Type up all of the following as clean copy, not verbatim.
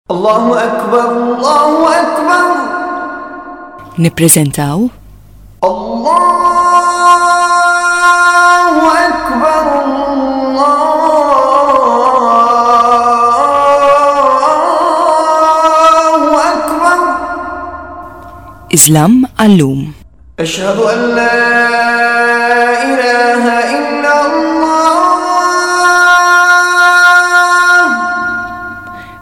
Allahu Akbar, Allahu Akbar. Nippreżentaw Allahu Akbar, Allahu Akbar. Islam għallum. Ashhadu an la ilaha illa Allah.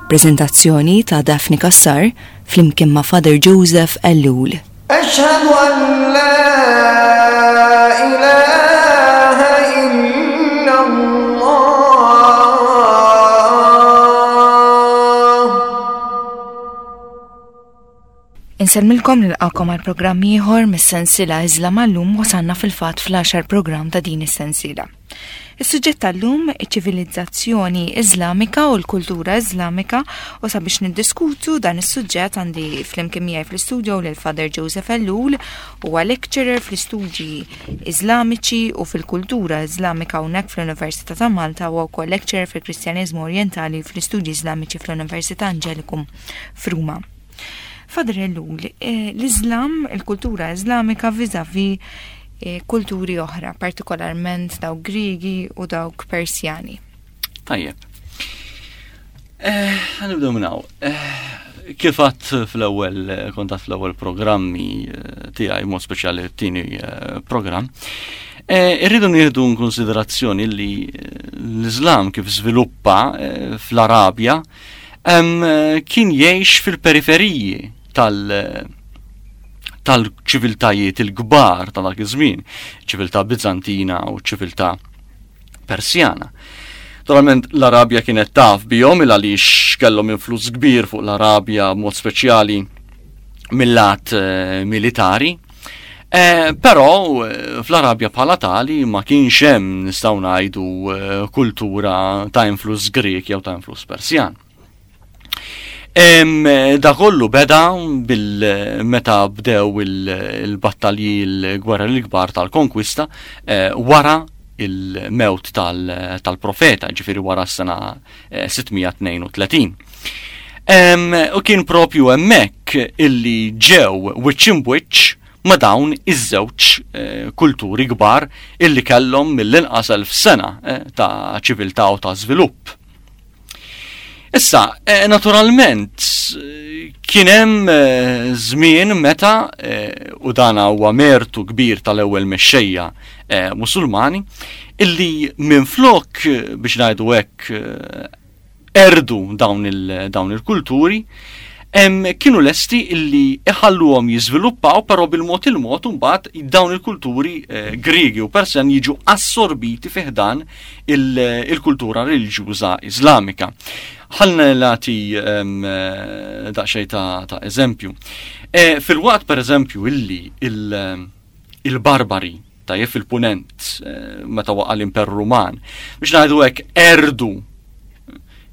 Prezentazzjoni ta' Daphne Cassar flimkien ma' Father Joseph Ellul. Ashhadu an la ilaha illa Allah. Insellmilkom nilqakom għal programm ieħor mis-sensiela Iżlam għallum wasalna fil-fatt fl-għaxar programm ta' din is-sensiela. Is-suġġett tal-lum iċ-ċivilizzazzjoni Iżlamika u l-kultura Iżlamika u sabiex niddiskutu dan is-suġġett għandi flimkien miegħi fl-istudio lil Father Joseph Ellul huwa lecturer fl-istudji Iżlamiċi u fil-kultura Iżlamika hawnhekk fl-Università ta' Malta u wkoll lecturer fil-Kristjaniżmu Orjentali fl-istudji Iżlamiċi fl-Università Angelicum f'Ruma. Father Ellul, eh, l-Islam, il-kultura Islamika vizavi eh, kulturi oħra, partikolarment dawk Grigi u dawk Persjani. Tajjeb. Eh, Nibdew minn hawn. Kif għadt fl-ewwel kontat fl-ewwel programmi tiegħi mod speċjali t-tieni programm, irridu nieħdu konsiderazzjoni li l-Islam kif żviluppa fl-Arabja kien jgħix fil-periferiji tal- tal-ċiviltajiet il-kbar ta' dak iż-żmien, ċiviltà Bizantina u ċiviltà Persjana. Naturalment l-Arabja kienet taf bihom il għaliex kellhom influss kbir fuq l-Arabja mod speċjali mill-lat eh, militari. Eh, però eh, fl-Arabja bħala tali ma kienx hemm nistgħu ngħidu eh, kultura ta' influss Grek jew ta' influss Persjan. Da kollu beda bil-meta bdew il-battalji l-gwerra l-kbar tal-konkwista wara il-mewt tal-profeta, ġifiri wara s-sena 632. U kien propju hemmhekk illi ġew wiċċ imbwiċċ ma' dawn iż-żewġ eh, kulturi kbar illi kellhom mill-inqas elf sena eh, ta' ċiviltà u ta' żvilupp. Issa, eh, naturalment, kien hemm żmien meta u dan huwa mertu kbir tal-ewwel mexxejja Musulmani illi minflok biex ngħidu hekk qerdu dawn il-kulturi, kienu lesti illi iħalluhom jiżviluppaw però bil-mod il-mod imbagħad dawn il-kulturi eh, Griegi u Persjan jiġu assorbiti fi ħdan il-kultura reliġjuża Iżlamika. Ħalna nagħti eh, daqsxejn ta' eżempju. Eh, fil-waqt pereżempju illi il-barbari tajjeb fil-punent eh, meta waqa' l-Imperu Ruman. Biex ngħidu hekk erdu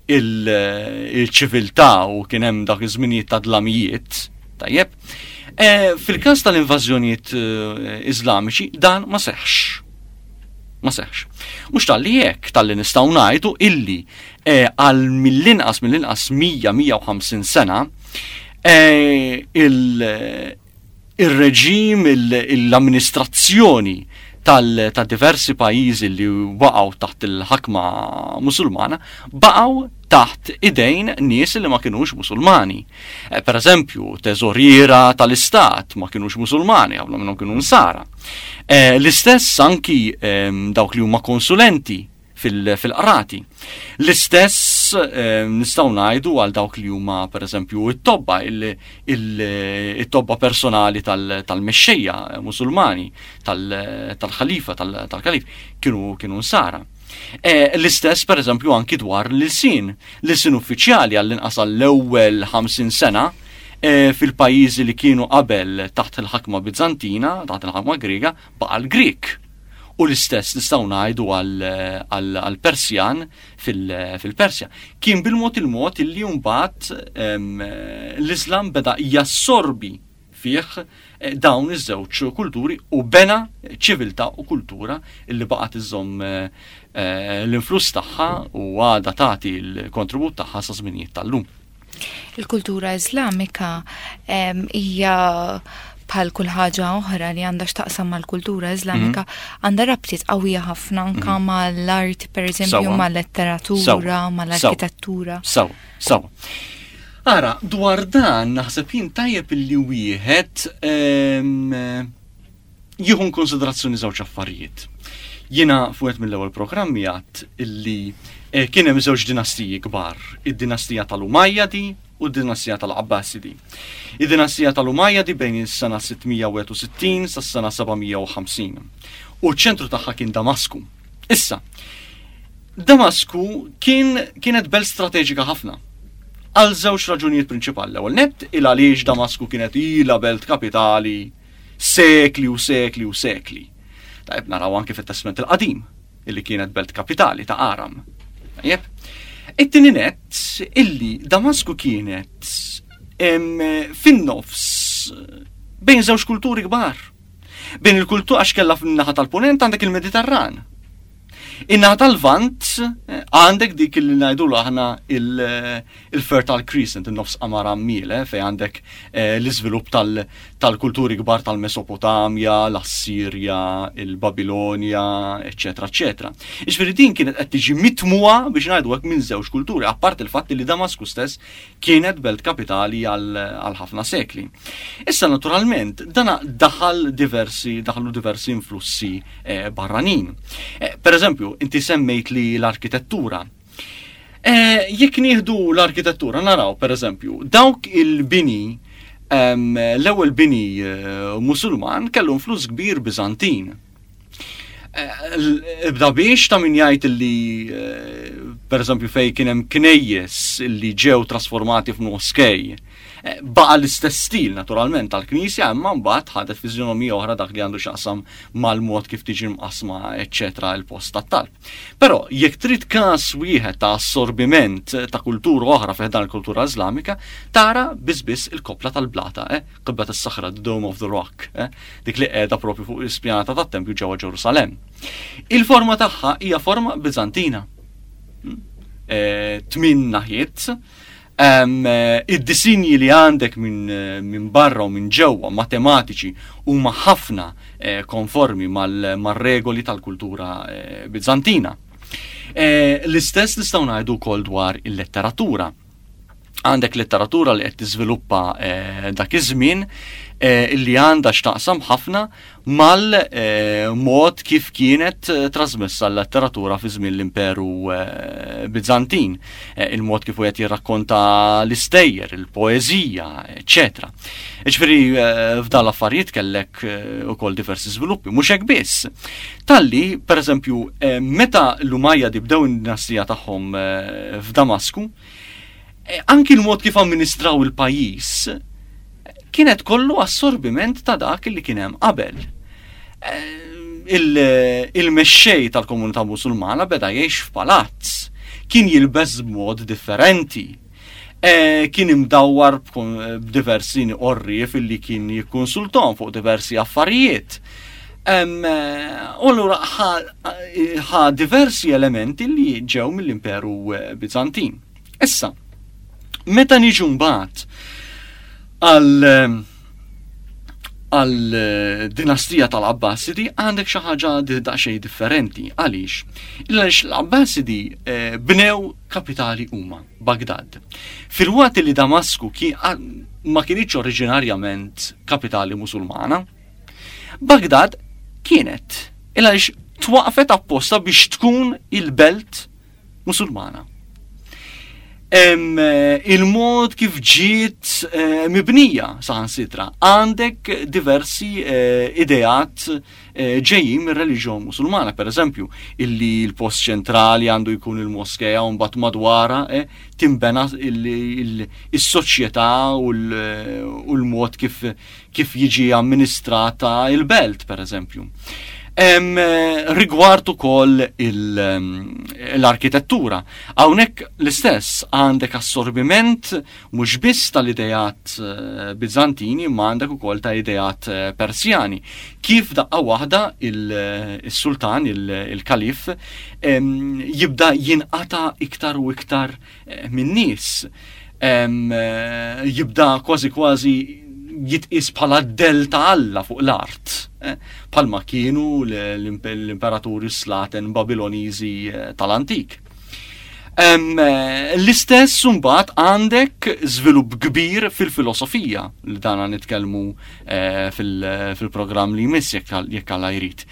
il-ċiviltà u kien hemm dak iż-żminijiet ta' dlamijiet, tajjeb. Eh, fil-każ tal-invażjonijiet eh, Iżlamiċi dan ma seħħx. Ma seħħx. Mhux talli hekk talli nistgħu ngħidu illi għal mill-inqas mill-inqas 100-150 sena il- ir-reġim, l-amministrazzjoni ta' diversi pajjiżi li waqgħu taħt il-ħakma Musulmana baqgħu taħt idejn nies li ma kinux Musulmani. Eh, per eżempju, teżoriera tal-istat ma kinux Musulmani, ħafna minnhom kienu nsara. Eh, l-istess anki ehm, dawk li huma konsulenti fil-qrati. L-istess eh, nistgħu ngħidu għal dawk li huma pereżempju it-tobba, it-tobba personali tal-mexxejja Musulmani, tal-ħalifa, tal-kalif, kienu kienu nsara. Eh, l-istess pereżempju anki dwar l-ilsien. L-ilsien uffiċjali għall-inqas għall-ewwel 50 sena eh, fil-pajjiżi li kienu qabel taħt il-ħakma Bizantina, taħt il-ħakma Griega, baqa' l-Grieg. U l-istess nistgħu ngħidu għall-Persjan fil-Persja. Kien bil-mod il-mod illi mbagħad l-Islam beda jassorbi fih eh, dawn iż-żewġ kulturi u bena ċiviltà u kultura illi baqgħet iżżomm eh, eh, l-influss tagħha u għadha tagħti l-kontribut tagħha sa żminijiet tal-lum. Il-kultura Iżlamika hija bħal kull ħaġa oħra li għandha x'taqsam mal-kultura Iżlamika mhm. għandha rabtiet qawwija ħafna anka mhm. mal-art pereżempju mal-letteratura, mal-arkitettura. Sawa, sawa. Ara, dwar dan naħseb jien tajjeb illi wieħed jieħu konsiderazzjoni żewġ affarijiet. Jiena fuq mill-ewwel programmi għadt illi eh, kien hemm żewġ dinastiji kbar, id-dinastija tal-Umayyadi u d-dinastija tal-Abbasidi. Id-dinastija tal-Umayyadi bejn is-sena 661 sas-sena 750. U ċ-ċentru tagħha kien Damasku. Issa, Damasku kien kienet belt strateġika ħafna. Għal żewġ raġunijiet prinċipali. L-ewwel nett il għaliex Damasku kienet ilha belt kapitali sekli u sekli u sekli. Tajb naraw anke fit-Testment il-Qadim illi kienet belt kapitali ta' Aram. Tajjeb. It-tieni nett illi Damasku kienet fin-nofs bejn żewġ kulturi kbar. Bejn il-kultur għax kellha fin-naħa tal-punent għandek il-Mediterran. In-naħa tal-Lvant eh, għandek dik li ngħidulu aħna eh, il-Fertile Crescent, in-nofs qamar għammiel, eh, fejn għandek l-iżvilupp tal-kulturi kbar tal-Mesopotamja, l-Assirja, il-Babilonja, eċetera, eċetera. Iġifieri din kienet qed tiġi mitmuha biex ngħidu hekk minn żewġ kulturi, apart il-fatt li Damasku stess kienet belt kapitali għal ħafna sekli. Issa naturalment dana daħal diversi daħlu diversi influssi eh, barranin. Eh, per eżempju, inti semmejt li l-arkitettura. Eh, jekk nieħdu l-arkitettura naraw per eżempju, dawk il-bini l-ewwel bini musulman kellu influss kbir Biżantin. Ibda biex ta' min jgħid li eh, per eżempju fej kien hemm knejjes li ġew trasformati f'moskej. Eh, baqa l-istess stil naturalment tal-knisja imma mbagħad ħadet fiżjonomija oħra dak li għandu x'aqsam mal-mod kif tiġi mqasma eċċetera il-post tat-talb. Però jekk trid każ wieħed ta' assorbiment ta' kultura oħra fih dan il-kultura Iżlamika, tara biss biss il-kopla tal-blata, eh? Qibba tas-Saħra, the Dome of the Rock, eh? dik li qiegħda propju fuq l-ispjanata tat-tempju ġewwa Ġerusalemm. Il-forma tagħha hija forma Biżantina. Hmm? Eh, tmin naħiet, eh, id-disinji li għandek minn min barra u minn ġewwa matematiċi huma ħafna konformi mal-regoli tal-kultura Bizantina. L-istess nistgħu ngħidu wkoll dwar il-letteratura. Għandek letteratura li qed tiżviluppa eh, dak iż-żmien eh, illi għandha x'taqsam ħafna mal-mod eh, kif kienet trasmessa l-letteratura fi żmien l-Imperu Bizantin, il-mod kif wieħed jirrakkonta l-istejjer, il-poeżija, eċetera. Ġifieri f'dan l-affarijiet kellek ukoll diversi żviluppi, mhux hekk biss. Talli, pereżempju, meta l-Umayyadi bdew id-dinastija tagħhom f'Damasku, Eh, anki l-mod kif amministraw il-pajjiż kienet kollu assorbiment ta' dak li kien hemm qabel. Eh, il-mexxej tal-komunità musulmana beda jgħix f'palazz, kien jilbes b'mod differenti. Eh, kien imdawwar b'diversi orrief illi kien jikkonsultom fuq diversi affarijiet. U allura ħa diversi elementi li ġew mill-Imperu eh, Bizantin. Issa, meta niġu mbagħad għal eh, għal eh, dinastija tal-Abbasidi għandek xi ħaġa daqsxejn differenti. Għaliex? Għaliex l-Abbasidi bnew kapitali huma, Bagdad. Filwaqt li Damasku ma kienx oriġinarjament kapitali Musulmana, Bagdad kienet il għaliex twaqfet apposta biex tkun il-belt musulmana. Il-mod kif ġiet eh, mibnija saħansitra għandek diversi eh, ideat eh, ġejjin mir-reliġjon musulmana, per eżempju, illi l-post ċentrali għandu jkun il-moskeja u mbagħad madwara timbena il-soċjetà u l-mod kif kif jiġi amministrata il-belt, per eżempju. Rigward ukoll l-arkitettura, hawnhekk l-istess għandek assorbiment mhux biss tal-idejat eh, Bizantini ma għandek ukoll ta' idejat eh, Persjani. Kif daqqa waħda il-sultan, il-kalif, jibda jinqata iktar u iktar eh, min-nies. Jibda kważi kważi jitqis bħala d-del ta' Alla fuq l-art, bħalma kienu l-imperaturi slaten Babiloniżi tal-antik. L-istess mbagħad għandek żvilupp kbir fil-filosofija li dana nitkellmu fil-programm li jmiss jekk Alla jrid.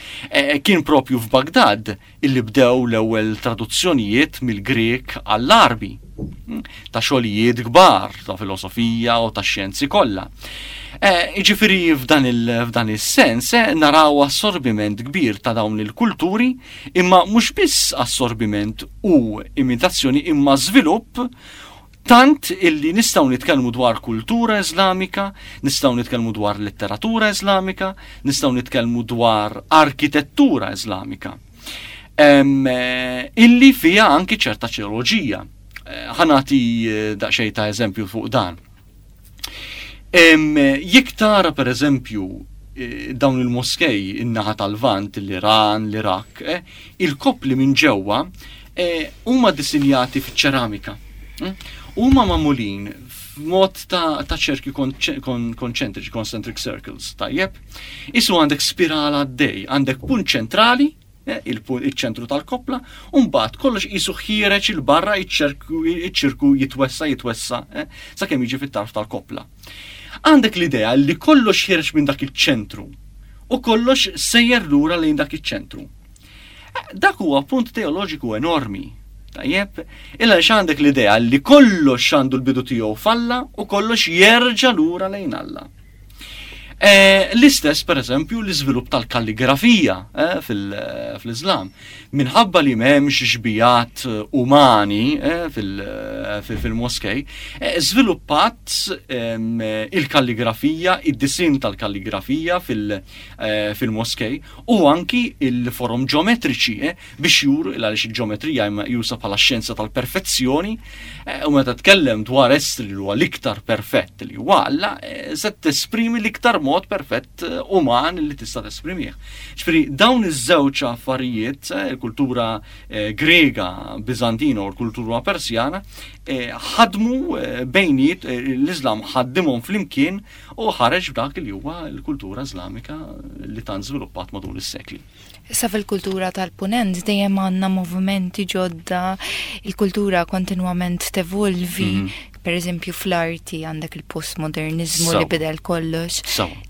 Kien propju f'Bagdad illi bdew l-ewwel traduzzjonijiet mill-Grieg għall-Għarbi ta' xogħlijiet kbar ta' filosofija u ta' xjenzi kollha. Eh, jiġifieri f'dan is-sens eh, naraw assorbiment kbir ta' dawn il-kulturi, imma mhux biss assorbiment u imitazzjoni imma żvilupp tant illi nistgħu nitkellmu dwar kultura Iżlamika, nistgħu nitkellmu dwar letteratura Iżlamika, nistgħu nitkellmu dwar arkitettura Iżlamika. Illi fija anki ċerta ċeoloġija. Eh, ħanati eh, daqsxejn ta' eżempju fuq dan. Jekk tara per eżempju eh, dawn il-moskej in-naħa tal-Vant, l-Iran, l-Iraq, eh, il-koppli minn ġewwa eh, huma disinjati fiċ-ċeramika. Mm? Huma magħmulin f'mod ta' ċerki konċentriċi, concentric circles, tajjeb? Isu għandek spirala għaddej, għandek punt ċentrali, Eh, il-ċentru tal-koppla, u mbagħad kollox qisu ħiereġ il-barra iċ-ċirku jitwessa jitwessa eh, sakemm jiġi fit-tarf tal-koppla. Għandek l-idea li kollox ħiereġ minn dak iċ-ċentru u kollox sejjer lura lejn dak iċ-ċentru. Eh, dak huwa punt teoloġiku enormi. Tajjeb, illa għandek l-idea li kollox għandu l-bidu tiegħu falla u kollox jerġa' lura lejn Alla. Eh, l-istess, per eżempju, l-iżvilupp tal-kalligrafija eh, fl-Islam. Minħabba li m'hemmx xbijat umani eh, fil-moskej, żviluppat ehm, il-kalligrafija, id-disin tal-kalligrafija fil-moskej u anki il-forom ġeometriċi biex juru il għaliex il-ġeometrija jusa bħala xjenza tal-perfezzjoni eh, u meta tkellem dwar essri li huwa l-iktar perfett li huwa Alla, eh, se tesprimi l-iktar mod perfett eh, uman li tista' tesprimih. Ġifieri dawn iż-żewġ affarijiet, il-kultura Grega, Bizantina u l-kultura Persjana, ħadmu bejniet l-Islam ħaddimhom flimkien u ħareġ b'dak li huwa l-kultura Islamika li tant żviluppat matul is-sekli. Issa fil-kultura tal-punent dejjem għandna movimenti ġodda, il-kultura kontinwament tevolvi, mm. per eżempju fl-arti għandek il-postmodernizmu li bidel kollox.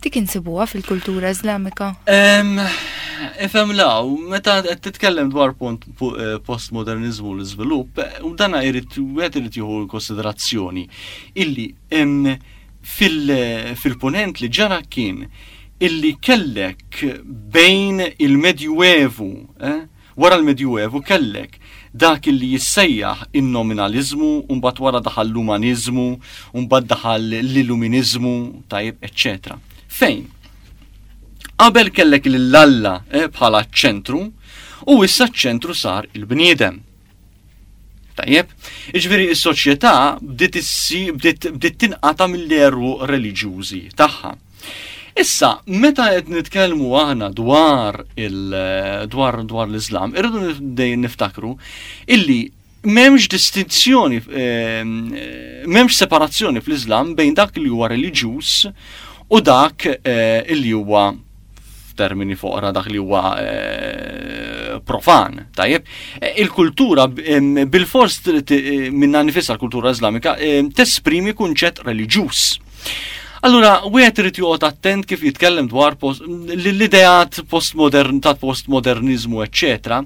Dik insibuha fil-kultura Islamika? Ifhem law, meta qed titkellem dwar eh, postmodernizmu l-iżvilupp, eh, u dana jrid wieħed irid jieħu konsiderazzjoni illi Fil-Punent li ġara kien illi kellek bejn il-Medjuevu, eh, wara l-Medjuevu kellek dak illi jissejjaħ in-nominaliżmu, u mbagħad wara daħal l-umaniżmu, u mbagħad daħal l-illuminiżmu, tajjeb, eċċetera. Fejn? Qabel kellek lil Alla eh, bħala ċ-ċentru, u issa ċ-ċentru sar il-bniedem. Tajjeb, iġveri s-soċjetà bdiet bdiet tinqata' mill-eru reliġjużi tagħha. Issa, meta qed nitkellmu aħna dwar il dwar dwar l-Islam, irridu dejjem niftakru illi m'hemmx distinzjoni ehm, m'hemmx separazzjoni fl-Islam bejn dak li huwa reliġjuż u dak eh, illi huwa f'termini foqra dak li huwa eh, profan, tajjeb. Eh, il-kultura bil-fors minna nifisha l-kultura Islamika tesprimi kunċett reliġjuż. Allura, wieħed irid joqgħod attent kif jitkellem dwar l-ideat postmodern ta' postmodernizmu, eċċetera.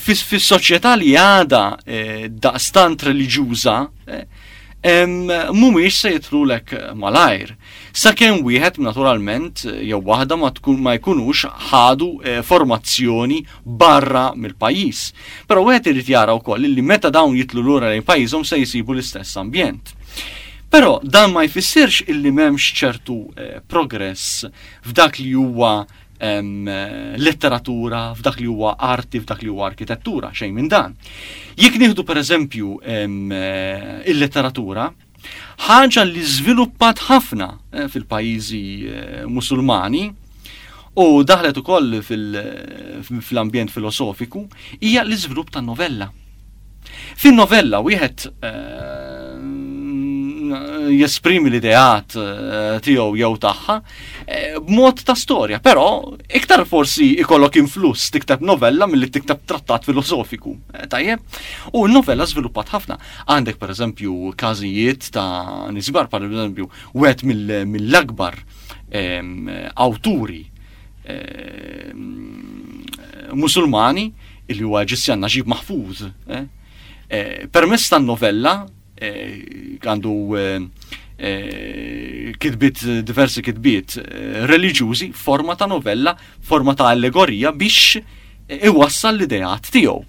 Fis-soċjetà li għada eh, daqstant reliġjuża, mhumiex se jitlulek malajr. Sakemm wieħed naturalment jew waħda ma tkun ma jkunux ħadu eh, formazzjoni barra mill-pajjiż. Però wieħed irid jara wkoll li meta dawn jitlu lura lejn pajjiżhom se jsibu l-istess ambjent. Però dan ma jfissirx illi m'hemmx ċertu eh, progress f'dak li huwa letteratura, f'dak li huwa arti, f'dak li huwa arkitettura, xejn minn dan. Jekk nieħdu pereżempju eh, il-letteratura, Ħaġa li żviluppat ħafna eh, fil-pajjiżi eh, Musulmani u daħlet ukoll fil-ambjent filosofiku hija l-iżvilupp tan-novella. Fin-novella wieħed eh, jesprimi l-ideat eh, tiegħu jew tagħha eh, b'mod ta' storja, però iktar forsi ikollok influss tikteb novella milli tikteb trattat filosofiku. Tajjeb? U n-novella żviluppat ħafna. Għandek pereżempju każijiet ta' nisbar, pereżempju, wieħed mill-akbar ehm, awturi ehm, Musulmani illi huwa Eġizzjan Naġib Mahfuz. Eh? Eh, permezz tan-novella eh, għandu kitbiet diversi kitbiet reliġjużi forma ta' novella, forma ta' allegorija biex iwassal l-ideat tiegħu.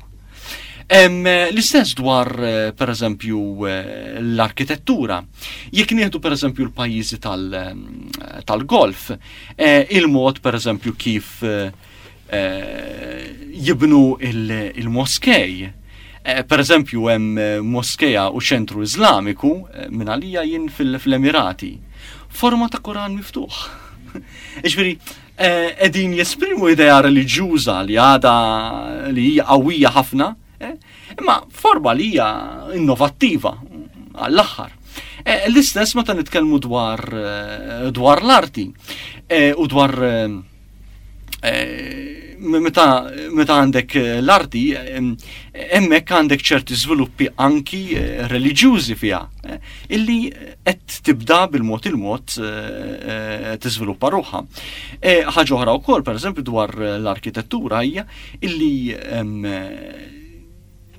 L-istess dwar per eżempju l-arkitettura. Jekk nieħdu per eżempju l-pajjiżi tal-golf, il-mod per eżempju kif Eh, jibnu il-moskej. Eh, per eżempju, hemm eh, moskeja u ċentru Iżlamiku minn għalija jien fil-Emirati. Forma ta' Koran miftuħ. Iġveri, edin jesprimu idea reliġjuża li għada li hija qawwija ħafna, imma forma li hija innovattiva għall-aħħar. L-istess meta nitkellmu dwar dwar l-arti u dwar Eh, meta meta għandek eh, l-arti, hemmhekk għandek ċerti żviluppi anki eh, reliġjużi fiha, illi qed tibda bil-mod il-mod tiżviluppa ruħha. Ħaġa oħra wkoll, pereżempju dwar l-arkitettura hija illi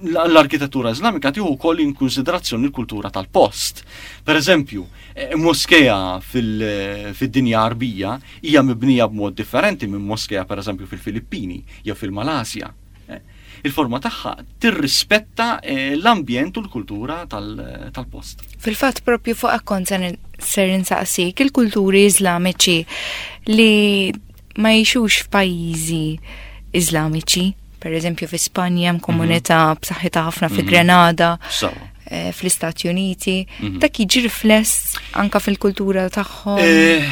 l-arkitettura Iżlamika tieħu wkoll in konsiderazzjoni l-kultura tal-post. Per eżempju, eh, moskeja fid-dinja Arbija hija mibnija b'mod differenti minn moskeja per eżempju fil-Filippini jew fil-Malasja. Eh, il-forma tagħha tirrispetta eh, l-ambjent u l-kultura tal-post. Fil-fatt propju fuq akkont ser insaqsik il-kulturi Iżlamiċi li ma jgħixux f'pajjiżi Iżlamiċi Per eżempju fi Spanja hemm komunità mhm. b'saħħitha ħafna fi mhm. Grenada. Eh, fl-Istati Uniti, mhm. dak jiġi rifless anka fil-kultura tagħhom. Eh,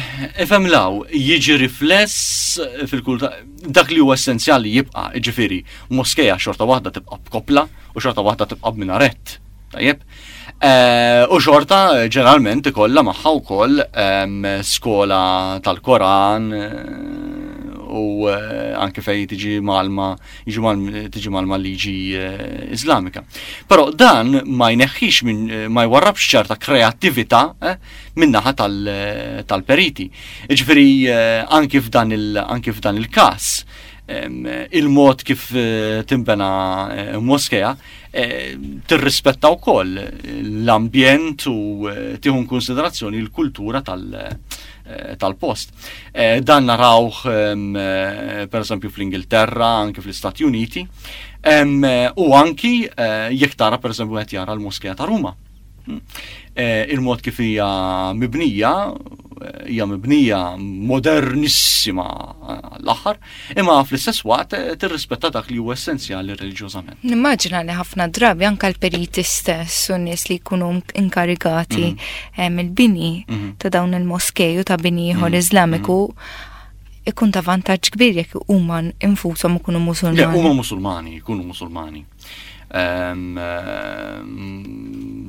ifhem law, jiġi rifless fil-kultura dak li huwa essenzjali jibqa' ġifieri moskeja xorta waħda tibqa' b'kopla u xorta waħda tibqa' b'minaret. Tajjeb? Eh, u xorta ġeneralment ikollha magħha wkoll ehm, skola tal-Koran eh, u eh, anke fej tiġi malma tiġi malma liġi Iżlamika. Però dan ma jneħħix minn ma jwarrabx ċerta kreattività min-naħa tal-periti. Ġifieri anki f'dan il-każ ehm, il-mod kif timbena moskeja Eh, tirrispetta wkoll l-ambjent u eh, tieħu konsiderazzjoni l-kultura eh, tal-post. Dan narawh ehm, per eżempju fl-Ingilterra, anke fl-Istati Uniti, ehm, u anki jekk tara per eżempju qed jara l-Moskea ta' Ruma. Eh, il-mod kif hija mibnija, eh, hija mibnija modernissima eh, l-aħħar, imma fl-istess waqt tirrispetta dak li huwa essenzjali reliġjożament. Nimmaġina li ħafna drabi anka l-periti stess u nies li jkunu inkarigati mhm. mill-bini mhm. ta' dawn il-moskej u ta' bini ieħor mhm. Iżlamiku ikun ta' vantaġġ kbir jekk huma infushom ikunu Musulmani. Huma Musulmani, jkunu Musulmani.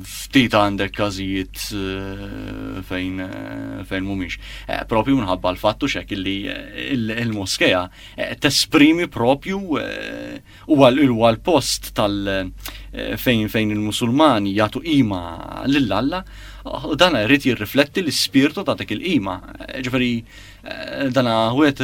Ftit għandek każijiet eh, fejn eh, fejn mhumiex. Eh, propju minħabba l-fattu xek illi il-moskeja tesprimi propju huwa l-post tal fejn fejn il-Musulmani jagħtu qima lil Alla u dan irid jirrifletti l-ispirtu ta' dik il-qima. Ġifieri Eh, dana għet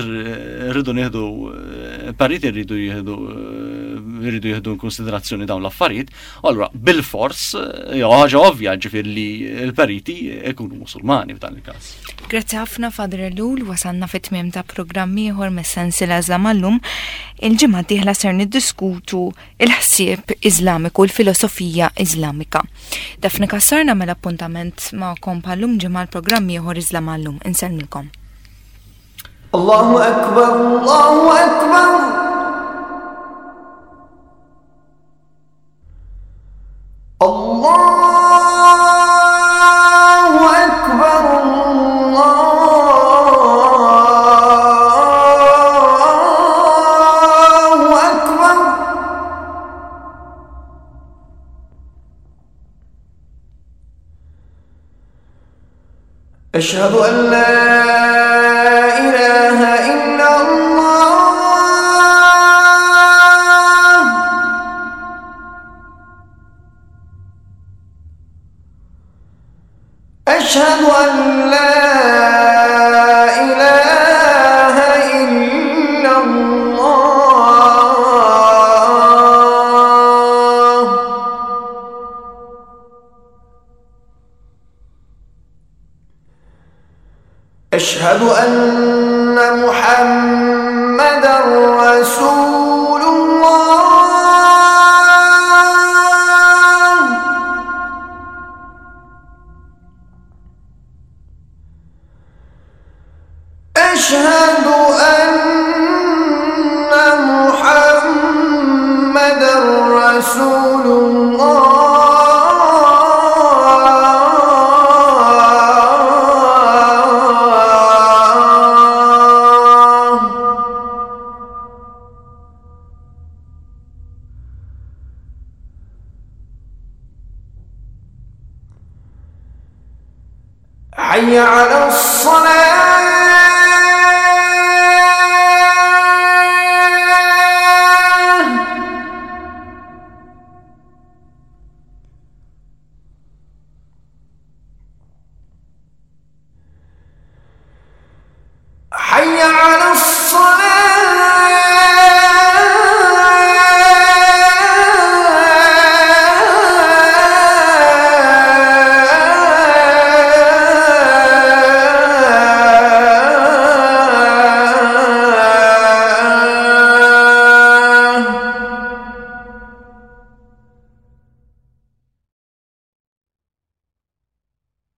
rridu nieħdu eh, pariti rridu jieħdu eh, rridu jieħdu konsiderazzjoni dawn l-affarijiet. Allura bil-fors jew ħaġa ovvja ġifier li l-periti ikunu Musulmani f'dan il-każ. Grazzi ħafna Father Ellul, wasalna fit-tmiem ta' programm ieħor mis-sensiela Żlamallum. Il-ġimgħa d-dieħla ser niddiskutu il-ħsieb Iżlamiku, l-filosofija Iżlamika. Daphne Cassar nagħmel appuntament magħkom bħallum ġimgħa l-programm ieħor Iżlam għallum. Insellmilkom. Allahu Akbar, Allahu Akbar. Allahu Akbar, Allahu Akbar. أشهد أن لا إله إلا الله. أشهد أن لا إله إلا الله. أشهد أن محمدا رسول الله. أشهد أن محمدا رسول الله. حي على الصلاة. حي على الصلاة.